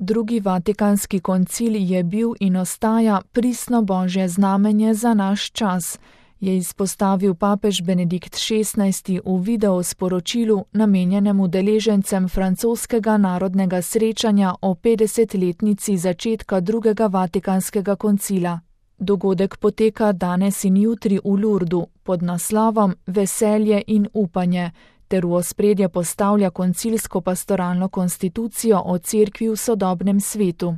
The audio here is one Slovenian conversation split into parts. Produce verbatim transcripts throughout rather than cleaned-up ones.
Drugi vatikanski koncil je bil in ostaja pristno božje znamenje za naš čas, je izpostavil papež Benedikt šestnajsti v video sporočilu namenjenem udeležencem francoskega narodnega srečanja o petdesetletnici začetka drugega vatikanskega koncila. Dogodek poteka danes in jutri v Lourdu pod naslovom Veselje in upanje, ter v ospredje postavlja koncilsko pastoralno konstitucijo o cerkvi v sodobnem svetu.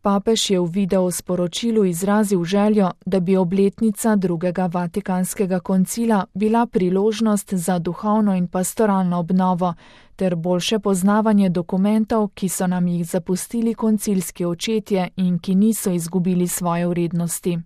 Papež je v video sporočilu izrazil željo, da bi obletnica drugega vatikanskega koncila bila priložnost za duhovno in pastoralno obnovo ter boljše poznavanje dokumentov, ki so nam jih zapustili koncilski očetje in ki niso izgubili svoje vrednosti.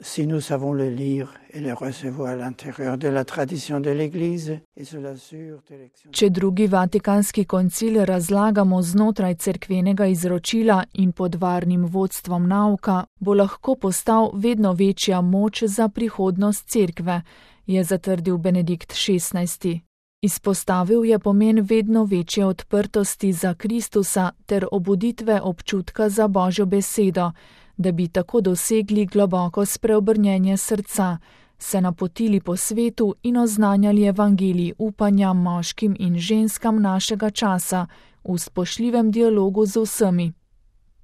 Si nous savons le lire et le recevoir à l'intérieur de la tradition de l'Église et sous la sûre direction. Če drugi vatikanski koncil razlagamo znotraj cerkvenega izročila in pod varnim vodstvom nauka, bo lahko postal vedno večja moč za prihodnost cerkve, je zatrdil Benedikt šestnajsti. Izpostavil je pomen vedno večje odprtosti za Kristusa ter obuditve občutka za Božjo besedo, da bi tako dosegli globoko spreobrnjenje srca, se napotili po svetu in oznanjali evangelij upanja moškim in ženskam našega časa v spoštljivem dialogu z vsemi.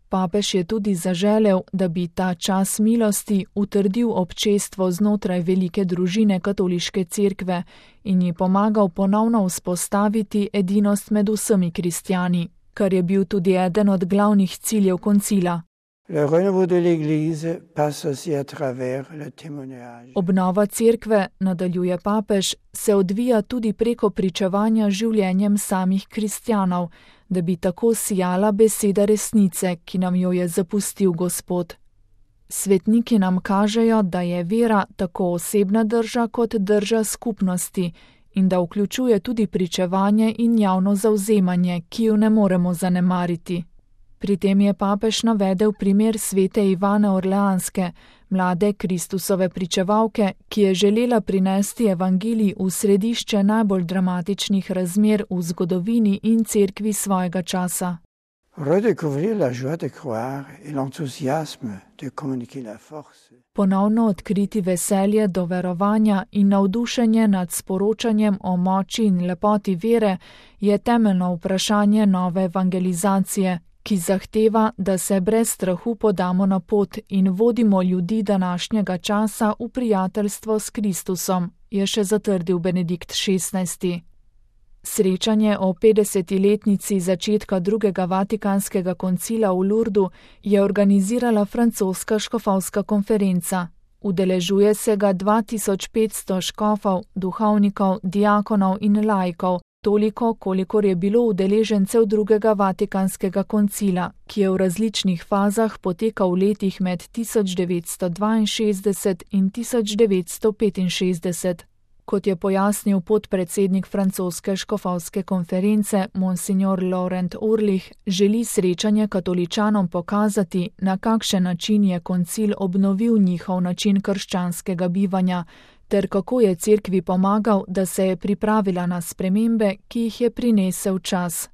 Papež je tudi zaželel, da bi ta čas milosti utrdil občestvo znotraj velike družine katoliške cerkve in ji pomagal ponovno vzpostaviti edinost med vsemi kristjani, kar je bil tudi eden od glavnih ciljev koncila. Le renouveau de l'Église passe aussi à travers le témoignage. Obnova cerkve, nadaljuje papež, se odvija tudi preko pričevanja življenjem samih kristjanov, da bi tako sijala beseda resnice, ki nam jo je zapustil Gospod. Svetniki nam kažejo, da je vera tako osebna drža kot drža skupnosti in da vključuje tudi pričevanje in javno zavzemanje, ki jo ne moremo zanemariti. Pri tem je papež navedel primer svete Ivane Orleanske, mlade Kristusove pričevalke, ki je želela prinesti evangelij v središče najbolj dramatičnih razmer v zgodovini in cerkvi svojega časa. Redécouvrir la joie de croire et l'enthousiasme de communiquer la force. Ponovno odkriti veselje do verovanja in navdušenje nad sporočanjem o moči in lepoti vere je temeljno vprašanje nove evangelizacije, ki zahteva, da se brez strahu podamo na pot in vodimo ljudi današnjega časa v prijateljstvo s Kristusom, je še zatrdil Benedikt šestnajsti. Srečanje o petdesetletnici začetka drugega vatikanskega koncila v Lourdu je organizirala francoska škofovska konferenca. Udeležuje se ga dva tisoč petsto škofov, duhovnikov, diakonov in laikov, toliko, kolikor je bilo udeležencev drugega vatikanskega koncila, ki je v različnih fazah potekal v letih med tisoč devetsto dvainšestdeset in tisoč devetsto petinšestdeset. Kot je pojasnil podpredsednik francoske škofovske konference, monsignor Laurent Urlich, želi srečanje katoličanom pokazati, na kakšen način je koncil obnovil njihov način krščanskega bivanja, ter kako je cerkvi pomagal, da se je pripravila na spremembe, ki jih je prinesel čas.